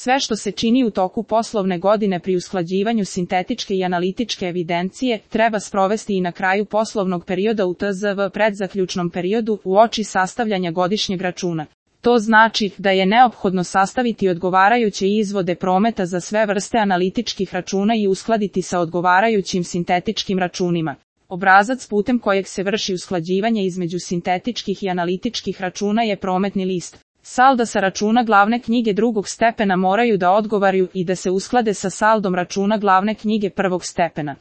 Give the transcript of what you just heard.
Sve što se čini u toku poslovne godine pri usklađivanju sintetičke i analitičke evidencije, treba sprovesti i na kraju poslovnog perioda u TZV predzaključnom periodu uoči sastavljanja godišnjeg računa. To znači da je neophodno sastaviti odgovarajuće izvode prometa za sve vrste analitičkih računa i uskladiti sa odgovarajućim sintetičkim računima. Obrazac putem kojeg se vrši usklađivanje između sintetičkih i analitičkih računa je prometni list. Salda sa računa glavne knjige drugog stepena moraju da odgovaraju i da se usklade sa saldom računa glavne knjige prvog stepena.